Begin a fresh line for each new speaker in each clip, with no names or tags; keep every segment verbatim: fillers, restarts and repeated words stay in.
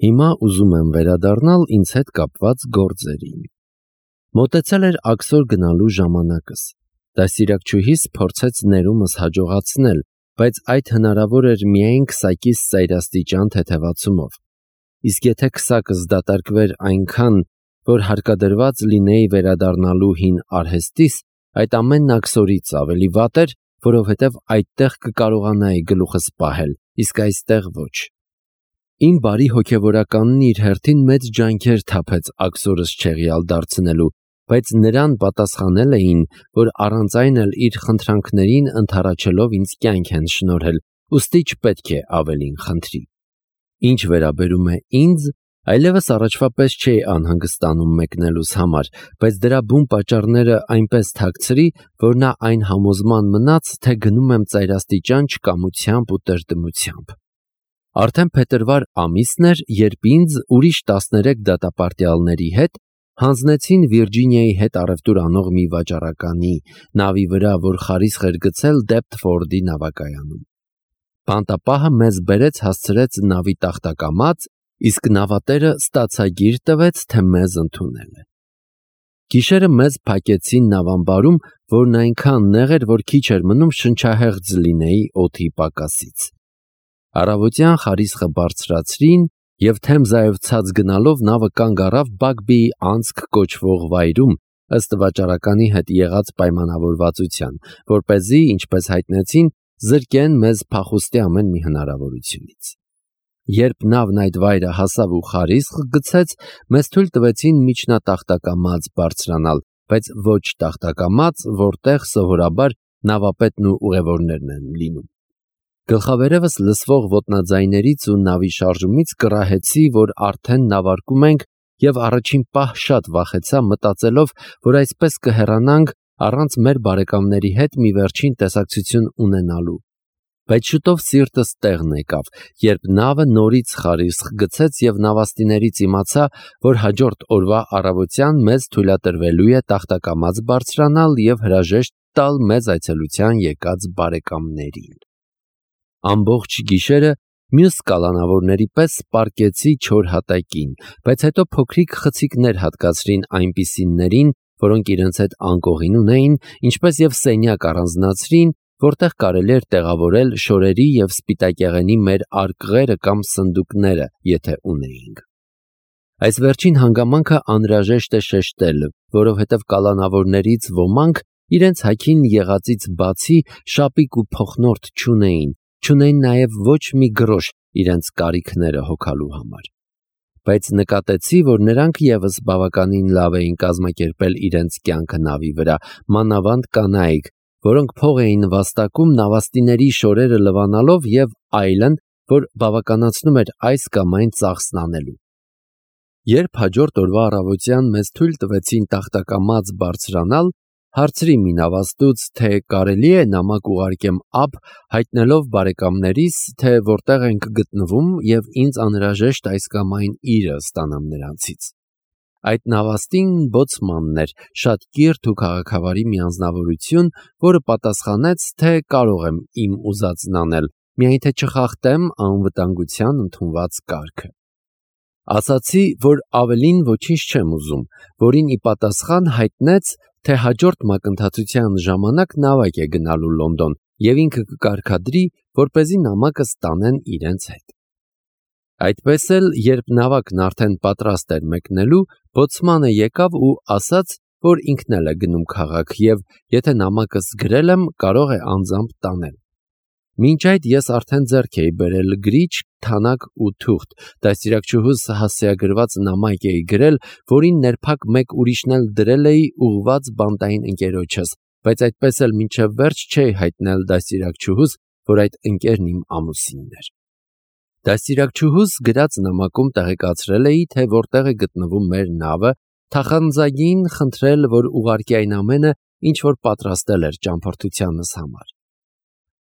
Հիմա ուզում եմ վերադառնալ ինձ հետ կապված գործերին։ Մոտեցել էր աքսոր գնալու ժամանակս։ Դաստիարակչուհիս փորձեց ներումս հաջողացնել, բայց այդ հնարավոր էր միայն քսակիս ծայրաստիճան թեթևացումով։ Իսկ եթե քսակս դատարկվեր այնքան, որ հարկադրված լինեի վերադառնալու հին արհեստիս, այդ ամենն աքսորից ավելի վատ էր, որովհետև այդտեղ կկարողանայի գլուխս պահել, իսկ այստեղ ոչ։ Իմ բարի հոգևորականն իր հերթին մեծ ջանքեր թափեց աքսորս չեղյալ դարձնելու, բայց նրան պատասխանել էին, որ առանց այն էլ իր խնդրանքներին ընդառաջելով ինձ կյանք են շնորհել, ուստի չպետք է ավելին խնդրի։ Ինչ վերաբերում է ինձ, այլևս առաջվա պես չէի անհանգստանում մեկնելուս համար, բայց դրա բուն պատճառները այնպես թաքցրի, որ նա այն համոզման մնաց, թե գնում եմ ծայրաստիճան չկամությամբ ու տրտմությամբ։ Արդեն փետրվար ամիսն էր, երբ ինձ ուրիշ տասներեք դատապարտյալների հետ հանձնեցին Վիրջինիայի հետ առևտուր անող մի վաճառականի նավի վրա, որ խարիսխ էր գցել Դեպտֆորդի նավակայանում։ Բանտապահը մեզ բերեց հասցրեց նավի տախտակամած, իսկ նավատերը ստացագիր տվեց, թե մեզ ընդունել է։ Գիշերը մեզ փակեցին նավամբարում, որն այնքան նեղ էր, որ քիչ էր մնում շնչահեղձ լինեի օդի պակասից։ Առավոտյան խարիսխը բարձրացրին և Թեմզայով ցած գնալով նավը կանգ առավ Բագբիի անցք կոչվող վայրում, ըստ վաճառականի հետ եղած պայմանավորվածության, որպեսզի, ինչպես հայտնեցին, զրկեն մեզ փախուստի ամեն մի հնարավորությունից։ Երբ նավն այդ վայրը հասավ ու խարիսխ գցեց, մեզ թույլ տվեցին միջնատախտակամած բարձրանալ, բայց ոչ տախտակամած, որտեղ սովորաբար նավապետն ու ուղևորներն են լինում։ Գլխավերևս լսվող ոտնաձայներից ու նավի շարժումից կռահեցի, որ արդեն նավարկում ենք, և առաջին պահ շատ վախեցա, մտածելով, որ այսպես կհեռանանք առանց մեր բարեկամների հետ մի վերջին տեսակցություն ունենալու։ Բայց շուտով սիրտս տեղն եկավ, երբ նավը նորից խարիսխ գցեց և նավաստիներից իմացա, որ հաջորդ օրվա առավոտյան մեզ թույլատրվելու է տախտակամած բարձրանալ և հրաժեշտ տալ մեզ այցելության եկած բարեկամներին։ Ամբողջ գիշերը մյուս կալանավորների պես պառկեցի չոր հատակին, բայց հետո փոքրիկ խցիկներ հատկացրին այնպիսիներին, որոնք իրենց հետ անկողին ունեին, ինչպես և սենյակ առանձնացրին, որտեղ կարելի էր տեղավորել շորերի և սպիտակեղենի մեր արկղերը կամ սնդուկները, եթե ունեինք։ Այս վերջին հանգամանքը անհրաժեշտ է շեշտել, որովհետև կալանավորներից ոմանք իրենց հագին եղածից բացի շապիկ ու փոխնորդ չունեին, չունեին նաև ոչ մի գրոշ իրենց կարիքները հոգալու համար։ Բայց նկատեցի, որ նրանք ևս բավականին լավ էին կազմակերպել իրենց կյանքը նավի վրա, մանավանդ կանայք, որոնք փող էին վաստակում նավաստիների շորերը լվանալով և այլն, որ բավականացնում էր այս կամ այն ծախսն անելու։ Երբ հաջորդ օրվա առավոտյան մեզ թույլ տվեցին տախտակամած բարձրանալ, հարցրի մի նավաստուց, թե կարելի է նամակ ուղարկեմ ափ, հայտնելով բարեկամներիս, թե որտեղ ենք գտնվում և ինձ անհրաժեշտ այս կամ այն իրը ստանամ նրանցից։ Այդ նավաստին բոցմանն էր, շատ կիրթ ու քաղաքավարի մի անձնավորություն, որը պատասխանեց, թե կարող եմ իմ ուզածն անել, միայն թե չխախտեմ անվտանգության ընդունված կարգը։ Ասացի, որ ավելին ոչինչ չեմ ուզում, որին ի պատասխան հայտնեց, թե հաջորդ մակընթացության ժամանակ նավակ է գնալու Լոնդոն և ինքը կկարգադրի, որպեսզի նամակը ստանեն իրենց հետ։ Այդպես էլ, երբ նավակն արդեն պատրաստ էր մեկնելու, բոցմանը եկավ ու ասաց, որ ինքն էլ է գնում քաղաք և եթե նամակս գրել եմ, կարող է անձամբ տանել։ Մինչ այդ ես արդեն ձեռք էի բերել գրիչ, թանակ ու թուղթ, դաստիարակչուհուս հասցեագրված նամակ էի գրել, որին ներփակ մեկ ուրիշն էլ դրել էի ուղղված բանտային ընկերոջս, բայց այդպես էլ մինչև վերջ չէի հայտնել դաստիարակչուհուս, որ այդ ընկերն իմ ամուսինն էր։ Դաստիարակչուհուս գրած նամակում տեղեկացրել էի, թե որտեղ է գտնվում մեր նավը, թախանձագին խնդրել, որ ուղարկի այն ամենը, ինչ որ պատրաստել էր ճամփորդությանս համար։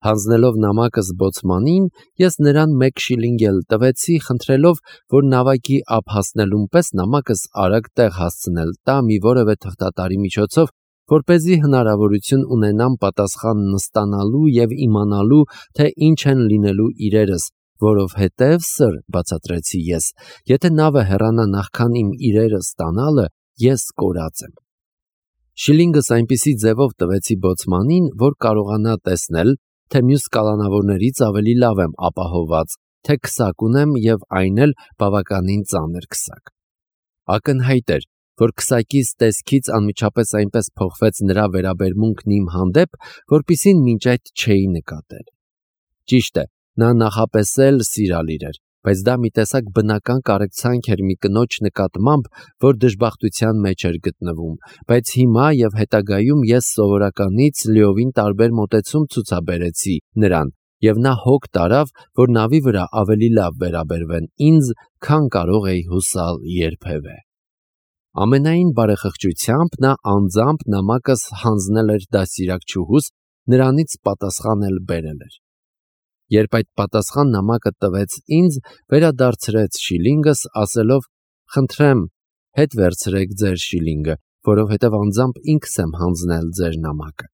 Հանձնելով նամակս բոցմանին, ես նրան մեկ շիլինգ էլ տվեցի, խնդրելով, որ նավակի ափ հասնելուն պես նամակս արագ տեղ հասցնել տա մի որևէ թղթատարի միջոցով, որպեսզի հնարավորություն ունենամ պատասխանն ստանալու և իմանալու, թե ինչ են լինելու իրերս, որովհետև, սըր, բացատրեցի ես, եթե նավը հեռանա նախքան իմ իրերը ստանալը, ես կորած եմ։ Շիլինգս այնպիսի ձևով տվեցի բոցմանին, որ կարողանա տեսնել, թե մյուս կալանավորներից ավելի լավ եմ ապահոված, թե քսակ ունեմ և այն էլ բավականին ծանր քսակ։ Ակնհայտ էր, որ քսակիս տեսքից անմիջապես այնպես փոխվեց նրա վերաբերմունքն իմ հանդեպ, որպիսին մինչ այդ չէի նկատել։ Ճիշտ է, նա նախապես էլ սիրալիր էր, բայց դա մի տեսակ բնական կարեկցանք էր մի կնոջ նկատմամբ, որ դժբախտության մեջ էր գտնվում, բայց հիմա և հետագայում ես սովորականից լիովին տարբեր մոտեցում ցուցաբերեցի նրան, և նա հոգ տարավ, որ նավի վրա ավելի լավ վերաբերվեն ինձ, քան կարող էի հուսալ երբևէ։ Ամենայն բարեխղճությամբ նա անձամբ նամակս հանձնել էր դաստիարակչուհուս, նրանից պատասխան էլ բերել էր։ Երբ այդ պատասխան նամակը տվեց ինձ, վերադարձրեց շիլինգս, ասելով. «Խնդրեմ, հետ վերցրեք ձեր շիլինգը, որովհետև անձամբ ինքս եմ հանձնել ձեր նամակը»։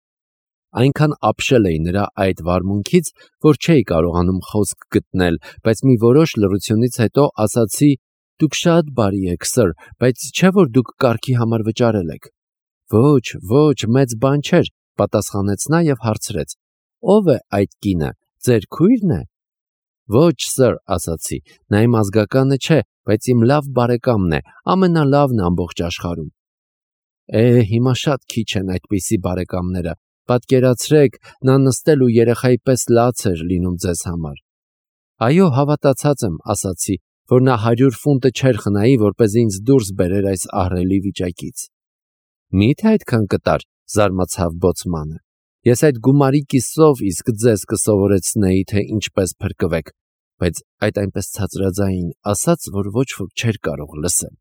Այնքան ապշել էի նրա այդ վարմունքից, որ չէի կարողանում խոսք գտնել, բայց մի որոշ լռությունից հետո ասացի. «Դուք շատ բարի եք, սըր, բայց չէ՞ որ դուք կարգի համար վճարել եք»։ «Ոչ, ոչ, մեծ բան չէր», պատասխանեց նա և հարցրեց. «Ո՞վ է այդ կինը, ձեր քույրն է»։ «Ոչ, սըր», ասացի, «նա իմ ազգականը չէ, բայց իմ լավ բարեկամն է, ամենալավն ամբողջ աշխարհում»։ Է, հիմա շատ քիչ են այդպիսի բարեկամները, պատկերացրեք, նա նստել ու երեխայի պես լաց էր լինում ձեզ համար։ «Այո, հավատացած եմ», ասացի, որ նա հարյուր ֆունտը չէր խնայի, որպեսզի ինձ դուրս բերեր այս ահռելի վիճակից։ «Մի՞թե այդքան կտար», զարմացավ բոցմանը։ «Ես այդ գումարի կիսով իսկ ձեզ կսովորեցնեի, թե ինչպես փրկվեք», բայց այդ այնպես ցածրաձայն ասաց, որ ոչ ոք չէր կարող լսել։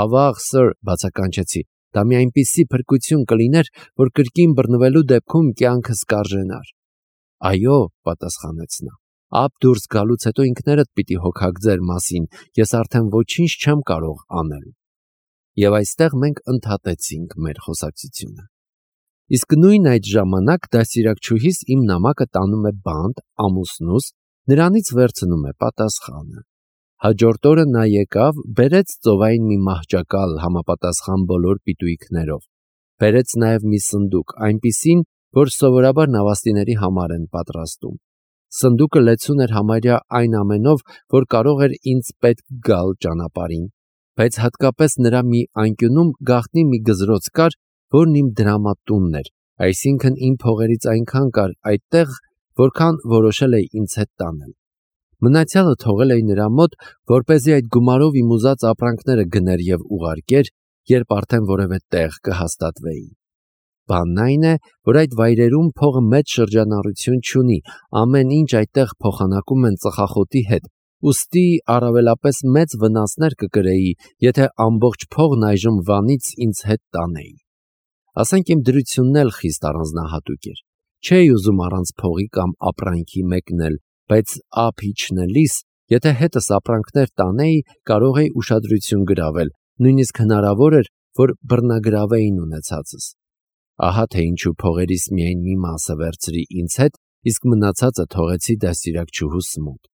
«Ավաղ, սըր», բացականչեցի, «դա մի այնպիսի փրկություն կլիներ, որ կրկին բռնվելու դեպքում կյանքս կարժենար»։ «Այո», պատասխանեց նա, «ափ դուրս գալուց հետո ինքներդ պիտի հոգաք ձեր մասին, ես արդեն ոչինչ չեմ կարող անել»։ Եվ այստեղ մենք ընդհատեցինք մեր խոսակցությունը։ Իսկ նույն այդ ժամանակ դաստիարակչուհիս իմ նամակը տանում է բանտ ամուսնուս, նրանից վերցնում է պատասխանը։ Հաջորդ օրը նա եկավ, բերեց ծովային մի մահճակալ համապատասխան բոլոր պիտույքներով, բերեց նաև մի սնդուկ, այնպիսին, որ սովորաբար նավաստիների համար են պատրաստում։ Սնդուկը լեցուն էր համարյա այն ամենով, որ կարող էր ինձ պետք գալ ճանապարհին, բայց հատկապես նրա մի անկյունում գաղտնի մի գզրոց կար, որն իմ դրամատունն էր, այսինքն իմ փողերից այնքան կար այդտեղ, որքան որոշել էի ինձ հետ տանել։ Մնացյալը թողել էի նրա մոտ, որպեսզի այդ գումարով իմ ուզած ապրանքները գներ և ուղարկեր, երբ արդեն որևէ տեղ կհաստատվեի։ Բանն այն է, որ այդ վայրերում փողը մեծ շրջանառություն չունի, ամեն ինչ այդտեղ փոխանակում են ծխախոտի հետ, ուստի առավելապես մեծ վնասներ կկրեի, եթե ամբողջ փողն այժմ վանից ինձ հետ տանեի։ Ասենք իմ դրությունն էլ խիստ առանձնահատուկ էր։ Չէի ուզում առանց փողի կամ ապրանքի մեկնել, բայց ափ իջնելիս, եթե հետս ապրանքներ տանեի, կարող էի ուշադրություն գրավել, նույնիսկ հնարավոր էր, որ բռնագրավեին ունեցածս։ Ահա թե ինչու փողերիս միայն մի մասը վերցրի ինձ հետ, իսկ մնացածը թողեցի դաստիարակչուհուս մոտ։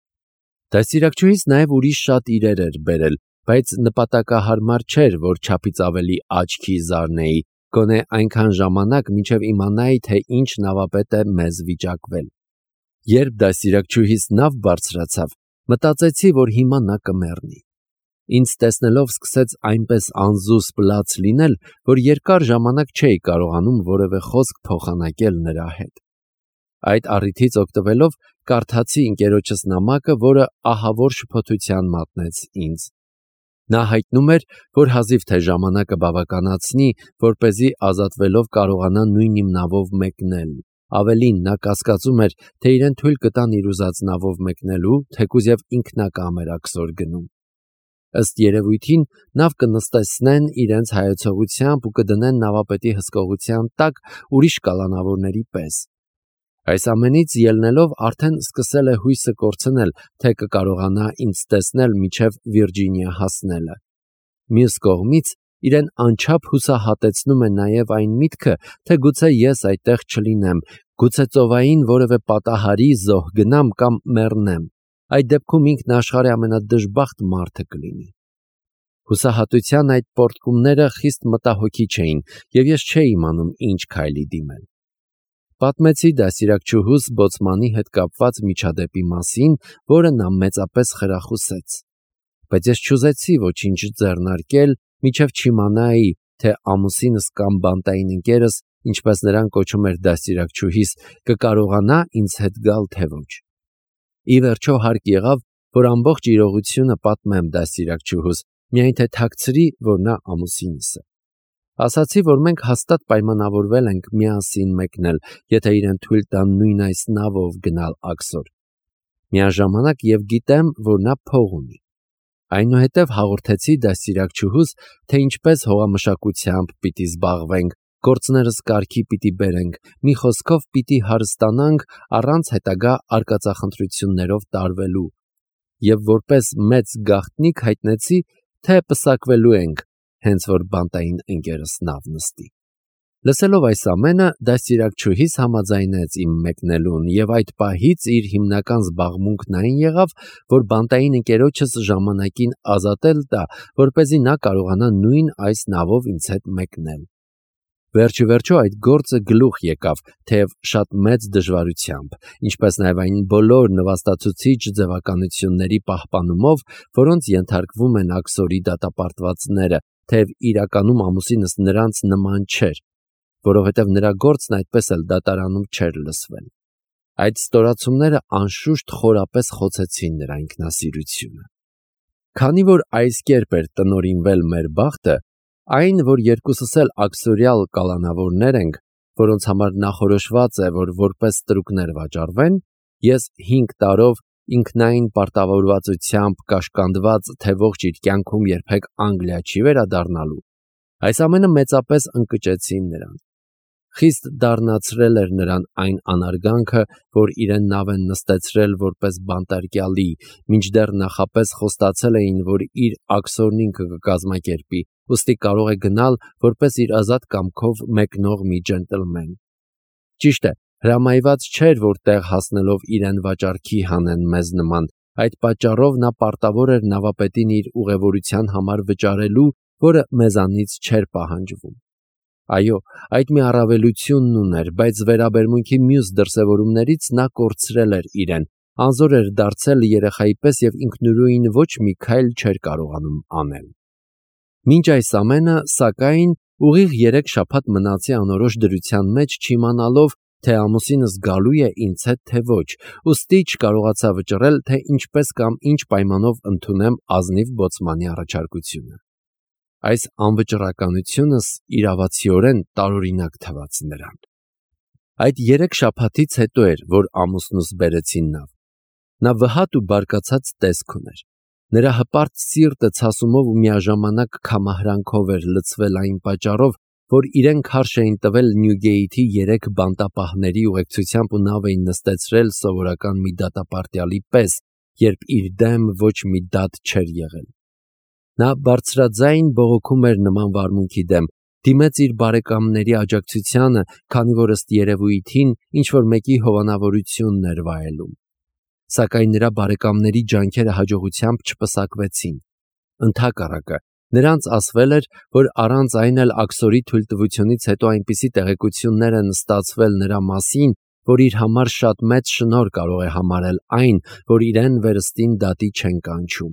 Դաստիարակչուհիս նաև ուրիշ շատ իրեր էր բերել, բայց նպատակահարմար չէր, որ չափից ավելի աչքի զարնեի, գոնե այնքան ժամանակ, մինչև իմանայի, թե ինչ նավապետ է մեզ վիճակվել։ Երբ դաստիարակչուհիս նավ բարձրացավ, մտածեցի, որ հիմա նա կմեռնի։ Ինձ տեսնելով սկսեց այնպես անզուսպ լաց լինել, որ երկար ժամանակ չէի կարողանում որևէ խոսք փոխանակել նրա հետ։ Այդ առիթից օգտվելով կարդացի ընկերոջս նամակը, որը ահավոր շփոթության մատնեց ինձ։ Նա հայտնում էր, որ հազիվ թե ժամանակը բավականացնի, որպեսզի ազատվելով կարողանա նույն իմ նավով մեկնել։ Ավելին, նա կասկածում էր, թե իրեն թույլ կտան իր ուզած նավով մեկնելու, թեկուզ և ինքնակամ էր աքսոր գնում։ Ըստ երևույթին, նավ կնստեցնեն իրենց հայեցողությամբ ու կդնեն նավապետի հսկողության տակ ուրիշ կալանավորների պես։ Այս ամենից ելնելով արդեն սկսել է հույսը կորցնել, թե կկարողանա ինձ տեսնել մինչև Վիրջինիա հասնելը։ Մյուս կողմից, իրեն անչափ հուսահատեցնում է նաև այն միտքը, թե գուցե ես այդտեղ չլինեմ, գուցե ծովային որևէ պատահարի զոհ գնամ կամ մեռնեմ։ այդ դեպքում ինքն աշխարհի ամենադժբախտ մարդը կլինի։ Հուսահատության այդ պոռթկումները խիստ մտահոգիչ էին, եւ ես չէի իմանում ինչ քայլի դիմել։ Պատմեցի դաստիարակչուհուս բոցմանի հետ կապված միջադեպի մասին, որը նա մեծապես խրախուսեց։ Բայց ես չուզեցի ոչինչ ձեռնարկել, մինչև չիմանայի, թե ամուսինս կամ բանտային ընկերս, ինչպես նրան կոչում էր դաստիարակչուհիս, կկարողանա ինձ հետ գալ, թե ոչ։ Ի վերջո հարկ եղավ, որ ամբողջ իրողությունը պատմեմ դաստիարակչուհուս, միայն թե թաքցրի, որ նա ամուսինս է։ Ասացի, որ մենք հաստատ պայմանավորվել ենք միասին մեկնել, եթե իրեն թույլ տան նույն այս նավով գնալ Աքսոր։ Միաժամանակ եւ գիտեմ, որ նա փող ունի։ Այնուհետև հաղորդեցի դաստիարակչուհուս, թե ինչպես հողամշակությամբ պիտի զբաղվենք, գործներս կարգի պիտի բերենք, մի խոսքով պիտի հարստանանք առանց հետագա արկածախնդրություններով տարվելու, եւ որպես մեծ գաղտնիք հայտնեցի, թե պսակվելու ենք, հենց որ բանտային ընկերս նավ նստի։ Լսելով այս ամենը, դաստիարակչուհիս համաձայնեց իմ մեկնելուն, եւ այդ պահից իր հիմնական զբաղմունքն այն եղավ, որ բանտային ընկերոջս ժամանակին ազատել տա, որպեսզի նա կարողանա նույն այս նավով ինձ հետ մեկնել։ Վերջիվերջո այդ գործը գլուխ եկավ, թեև շատ մեծ դժվարությամբ, ինչպես նաև այն բոլոր նվաստացուցիչ ձևականությունների պահպանումով, որոնց ենթարկվում են Աքսորի դատապարտվածները, թեև իրականում ամուսինս նրանց նման չէր, որովհետև նրա գործն այդպես էլ դատարանում չէր լսվել։ Այդ ստորացումները անշուշտ խորապես խոցեցին նրա ինքնասիրությունը։ Քանի որ այս կերպ էր տնօրինվել մեր բախտը, այն, որ երկուսս էլ աքսորյալ կալանավորներ ենք, որոնց համար նախորոշված է, որ որպես ստրուկներ վաճառվեն, ես հինգ տարով ինքնային պարտավորվածությամբ կաշկանդված, թե ողջ իր կյանքում երբեք Անգլիա չի վերադառնալու, այս ամենը մեծապես ընկճեցին նրան։ Խիստ դառնացրել էր նրան այն անարգանքը, որ իրեն նավ են նստեցրել որպես բանտարկյալի, մինչդեռ նախապես խոստացել էին, որ իր աքսորն ինքը կկազմակերպի, ուստի կարող է գնալ որպես իր ազատ կամքով մեկնող մի ջենտլմեն։ Ճիշտ է, հրամայված չէր, որ տեղ հասնելով իրեն վաճառքի հանեն մեզ նման, այդ պատճառով նա պարտավոր էր նավապետին իր ուղևորության համար վճարելու, որը մեզանից չէր պահանջվում։ Այո, այդ մի առավելությունն ուներ, բայց վերաբերմունքի մյուս դրսևորումներից նա կորցրել էր իրեն, անզոր էր դարձել երեխայի պես եւ ինքնուրույն ոչ մի քայլ չէր կարողանում անել։ Մինչ այս ամենը, սակայն, ուղիղ երեք շաբաթ մնացի անորոշ դրության մեջ, չիմանալով, թե ամուսինս գալու է ինձ հետ, թե ոչ, ուստի չկարողացա վճռել, թե ինչպես կամ ինչ պայմանով ընդունեմ ազնիվ բոցմանի առաջարկությունը։ Այս անվճռականությունս իրավացիորեն տարօրինակ թվաց նրան։ Այդ երեք շաբաթից հետո էր, որ ամուսնուս բերեցին նավ։ Նա վհատ ու բարկացած տեսք ուներ։ Նրա հպարտ սիրտը ցասումով ու միաժամանակ քամահրանքով էր լցվել այն պատճառով, որ իրեն քարշ էին տվել Նյուգեյթի երեք բանտապահների ուղեկցությամբ ու նավ էին նստեցրել սովորական մի դատապարտյալի պես, երբ իր դեմ ոչ մի դատ չէր եղել։ Նա բարձրաձայն բողոքում էր նման վարմունքի դեմ, դիմեց իր բարեկամների աջակցությանը, քանի որ ըստ երևույթին ինչ-որ մեկի հովանավորությունն էր վայելում։ Սակայն նրա բարեկամների ջանքերը հաջողությամբ չպսակվեցին։ Ընդհակառակը, նրանց ասվել էր, որ առանց այն էլ Աքսորի թույլտվությունից հետո այնպիսի տեղեկություններ են ստացվել նրա մասին, որ իր համար շատ մեծ շնորհ կարող է համարել այն, որ իրեն վերստին դատի չեն կանչում։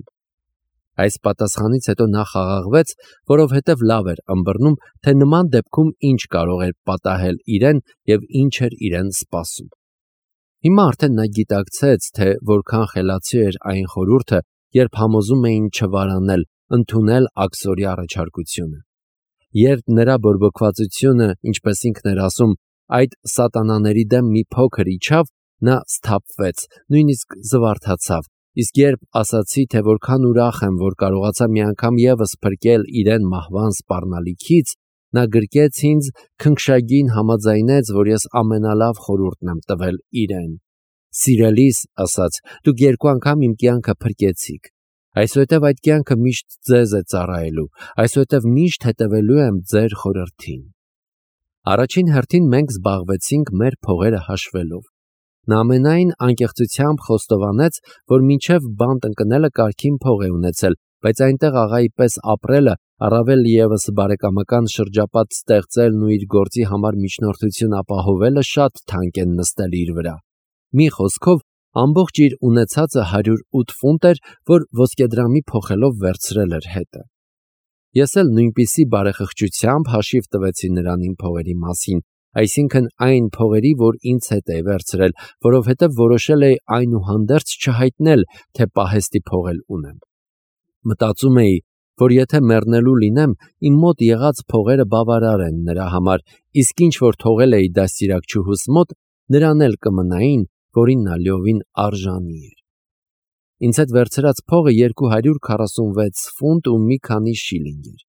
Այս պատասխանից հետո նա խաղաղվեց, որովհետև լավ էր ըմբռնում, թե նման դեպքում ինչ կարող էր պատահել իրեն եւ ինչ էր իրեն սպասում։ Հիմա արդեն նա գիտակցեց, թե որքան խելացի էր այն խորհուրդը, երբ համոզում էին չվարանել, ընդունել Աքսորի առաջարկությունը։ Երբ նրա բորբոքվածությունը, ինչպես ինքն էր ասում, այդ սատանաների դեմ մի փոքր իջավ, նա սթափվեց, նույնիսկ զվարթացավ, իսկ երբ ասացի, թե որքան ուրախ եմ, որ կարողացա մի անգամ եւս փրկել իրեն մահվան սպառնալիքից, նա գրկեց ինձ, քնքշագին համաձայնեց, որ ես ամենալավ խորհուրդն եմ տվել իրեն։ Սիրելիս, ասաց, դուք երկու անգամ իմ կյանքը փրկեցիք։ Այսուհետև այդ կյանքը միշտ ձեզ է ծառայելու, այսուհետև միշտ հետևելու եմ ձեր խորհրդին։ Առաջին հերթին մենք զբաղվեցինք մեր փողերը հաշվելով։ Նա ամենայն անկեղծությամբ խոստովանեց, որ մինչև բանտ ընկնելը կարգին փող է ունեցել, բայց այնտեղ աղայի պես ապրելը, առավել ևս բարեկամական շրջապատ ստեղծելն ու իր գործի համար միջնորդություն ապահովելը շատ թանկ են նստել իր վրա։ Մի խոսքով, ամբողջ իր ունեցածը հարյուր ութ ֆունտ էր, որ ոսկեդրամի փոխելով վերցրել էր հետը։ Ես էլ նույնպիսի բարեխղճությամբ հաշիվ տվեցի նրան իմ փողերի մասին, այսինքն այն փողերի, որ ինձ հետ էի վերցրել, որովհետև որոշել էի այնուհանդերձ չհայտնել, թե պահեստի փող էլ ունեմ։ Մտածում էի, որ եթե մեռնելու լինեմ, իմ մոտ եղած փողերը բավարար են նրա համար, իսկ ինչ որ թողել էի դաստիարակչուհուս մոտ, նրան էլ կմնային, որին նա լիովին արժանի էր։ Ինձ հետ վերցրած փողը երկու հարյուր քառասունվեց ֆունտ ու մի քանի շիլինգ էր։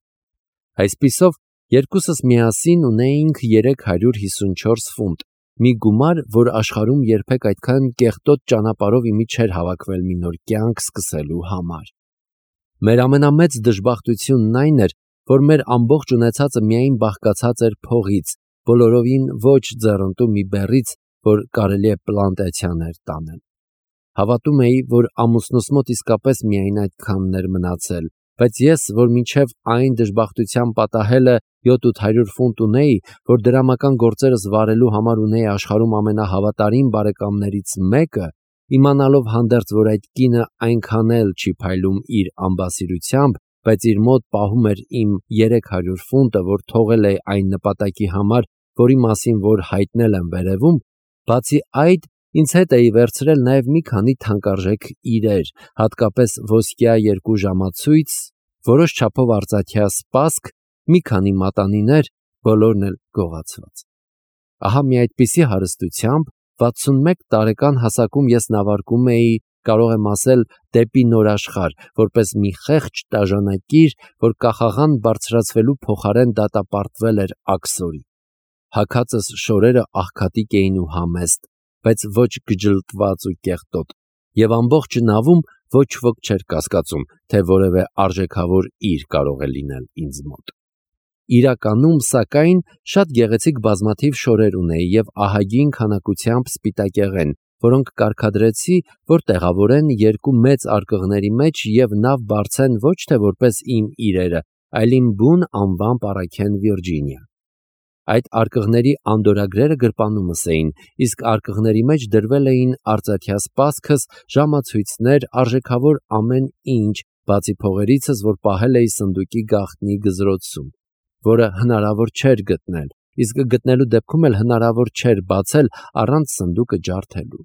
Այսպիսով, երկուսս միասին ունեինք երեք հարյուր հիսունչորս ֆունտ, մի գումար, որ աշխարհում երբեք այդքան կեղտոտ ճանապարհով իմի չէր հավաքվել մի նոր կյանք սկսելու համար։ Մեր ամենամեծ դժբախտությունն այն էր, որ մեր ամբողջ ունեցածը միայն բաղկացած էր փողից, բոլորովին ոչ ձեռնտու մի բեռից, որ կարելի է պլանտացիաներ տանել։ Հավատում էի, որ ամուսնուս մոտ իսկապես միայն այդքանն էր մնացել, բայց ես, որ մինչև այն դժբախտության պատահելը յոթ հարյուր ֆունտ ունեի, որ դրամական գործերս վարելու համար ունեի աշխարհում ամենահավատարիմ բարեկամներից մեկը, իմանալով հանդերձ, որ այդ կինը այնքան էլ չի փայլում իր ամբասիրությամբ, բայց իր մոտ պահում էր իմ երեք հարյուր ֆունտը, որ թողել է այն նպատակի համար, որի մասին որ հայտնել եմ վերևում, բացի այդ, ինձ հետ էի վերցրել նաև մի քանի թանկարժեք իրեր, հատկապես ոսկյա երկու ժամացույց, որոշ չափով արծաթյա սպասք, մի քանի մատանիներ, բոլորն էլ գողացված։ Ահա մի այդպիսի հարստությամբ վաթսունմեկ տարեկան հասակում ես նավարկում էի, կարող եմ ասել, դեպի նոր աշխարհ, որպես մի խեղճ տաժանակիր, որ կախաղան բարձրացվելու փոխարեն դատապարտվել էր աքսորի։ Հագածս շորերը աղքատիկ էին ու համեստ, բայց ոչ գջլտված ու կեղտոտ, եւ ամբողջ նավում ոչ ոք չէր կասկածում, թե որևէ արժեքավոր իր կարող է լինել ինձ մոտ։ Իրականում, սակայն, շատ գեղեցիկ բազմաթիվ շորեր ունեի եւ ահագին քանակությամբ սպիտակեղեն, որոնք կարգադրեցի, որ տեղավորեն երկու մեծ արկղների մեջ եւ նավ բարձեն ոչ թե որպես իմ իրերը, այլ իմ բուն անվամբ առաքեն Վիրջինիա։ Այդ արկղների անդորագրերը գրպանումս էին, իսկ արկղների մեջ դրվել էին արծաթյա սպասքս, ժամացույցներ, արժեքավոր ամեն ինչ, բացի փողերիցս, որ պահել էի սնդուկի գաղտնի գզրոցում, որը հնարավոր չէր գտնել, իսկ գտնելու դեպքում էլ հնարավոր չէր բացել առանց սնդուկը ջարդելու։